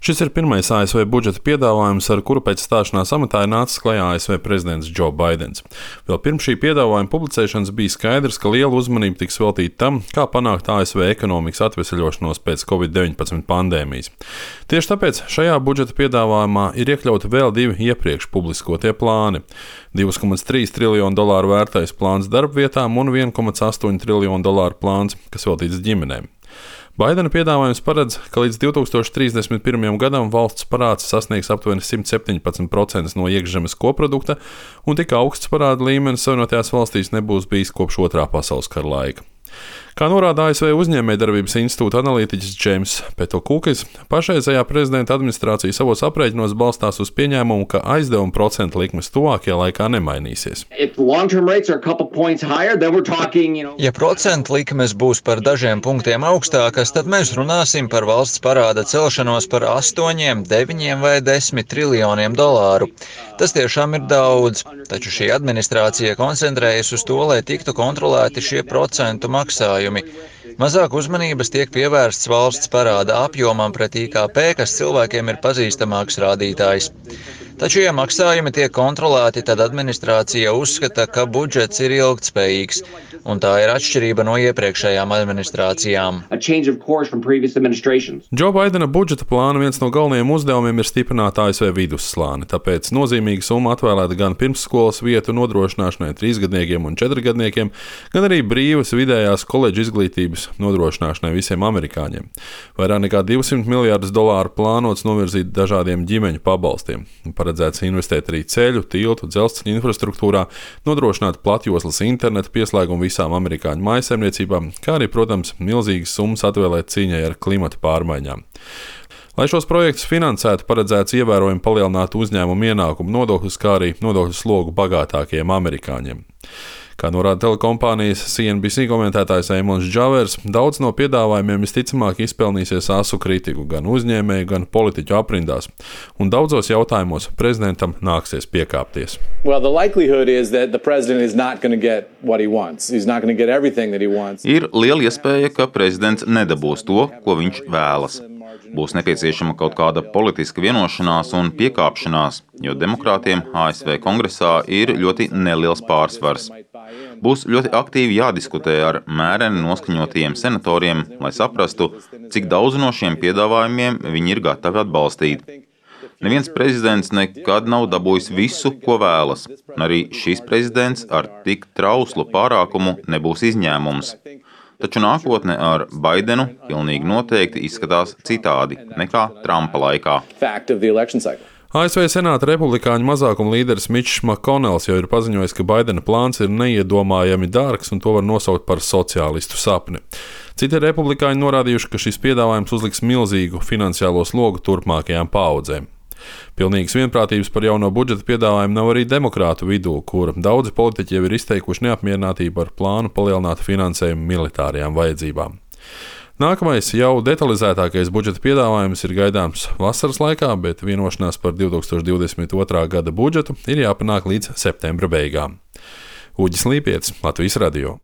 Šis ir pirmais ASV budžeta piedāvājums, ar kuru pēc stāšanās amatā ir nācis klajā ASV prezidents Joe Baidens. Vēl pirms šī piedāvājuma publicēšanas bija skaidrs, ka liela uzmanība tiks veltīta tam, kā panākt ASV ekonomikas atveseļošanos pēc Covid-19 pandēmijas. Tieši tāpēc šajā budžeta piedāvājumā ir iekļauti vēl divi iepriekš publiskotie plāni - $2,3 triljonu vērtais plāns darbvietām un $1,8 triljonu plāns, kas veltīts ģimenēm. Baidena piedāvājums paredz, ka līdz 2031. gadam valsts parāds sasniegs aptuveni 117% no iekšzemes koprodukta, un tik augsts parāda līmenis Savienotajās valstīs nebūs bijis kopš Otrā pasaules kara laika. Kā norāda ASV uzņēmējdarbības institūta analītiķis Džeims Petokukis, pašreizējā prezidenta administrācija savos aprēķinos balstās uz pieņēmumu, ka aizdevuma procentu likmes tuvākajā laikā nemainīsies. Ja procentu likmes būs par dažiem punktiem augstākas, tad mēs runāsim par valsts parāda celšanos par 8, 9 vai 10 triljoniem dolāru. Tas tiešām ir daudz, taču šī administrācija koncentrējas uz to, lai tiktu kontrolēti šie procentu maksājumi. Mazāk uzmanības tiek pievērsts valsts parāda apjomam pret IKP, kas cilvēkiem ir pazīstamāks rādītājs. Taču, ja maksājumi tiek kontrolēti, tad administrācija uzskata, ka budžets ir ilgtspējīgs, un tā ir atšķirība no iepriekšējām administrācijām. Džo Baidena budžeta plāna viens no galvenajiem uzdevumiem ir stiprināt ASV vidusslāni, tāpēc nozīmīga summa atvēlēta gan pirmsskolas vietu nodrošināšanai 3-gadniekiem un 4-gadniekiem, gan arī brīvas vidējās koledžu izglītības nodrošināšanai visiem amerikāņiem. Vairāk nekā $200 miljardus plānots novirzīt dažādiem ģimeņu pabalstiem. Paredzēts investēt arī ceļu, tiltu, dzelzceļa infrastruktūrā, nodrošināt platjoslas internetu pieslēgumu visām amerikāņu mājsaimniecībām, kā arī, protams, milzīgas summas atvēlēt cīņai ar klimata pārmaiņām. Lai šos projektus finansētu, paredzēts ievērojami palielināt uzņēmumu ienākumu nodokļus, kā arī nodokļu slogu bagātākajiem amerikāņiem. Kā norāda telekompānijas CNBC komentētājs Eimons Džavers, daudz no piedāvājumiem visticamāk izpelnīsies asu kritiku gan uzņēmēju, gan politiķu aprindās, un daudzos jautājumos prezidentam nāksies piekāpties. Ir liela iespēja, ka prezidents nedabūs to, ko viņš vēlas. Būs nepieciešama kaut kāda politiska vienošanās un piekāpšanās, jo demokrātiem ASV kongresā ir ļoti neliels pārsvars. Būs ļoti aktīvi jādiskutē ar mēreni noskaņotajiem senatoriem, lai saprastu, cik daudz no šiem piedāvājumiem viņi ir gatavi atbalstīt. Neviens prezidents nekad nav dabūjis visu, ko vēlas, un arī šis prezidents ar tik trauslu pārākumu nebūs izņēmums. Taču nākotne ar Baidenu pilnīgi noteikti izskatās citādi nekā Trumpa laikā. ASV Senāta republikāņu mazākuma līderis Mičs Makkonels jau ir paziņojis, ka Baidena plāns ir neiedomājami dārgs un to var nosaukt par sociālistu sapni. Citi republikāņi norādījuši, ka šis piedāvājums uzliks milzīgu finansiālo slogu turpmākajām paaudzēm. Pilnīgas vienprātības par jauno budžeta piedāvājumu nav arī demokrātu vidū, kur daudzi politiķi jau ir izteikuši neapmierinātību ar plānu palielināt finansējumu militārajām vajadzībām. Nākamais jau detalizētākais budžeta piedāvājums ir gaidāms vasaras laikā, bet vienošanās par 2022. gada budžetu ir jāpanāk līdz septembra beigām. Uģis Līpietis, Latvijas radio.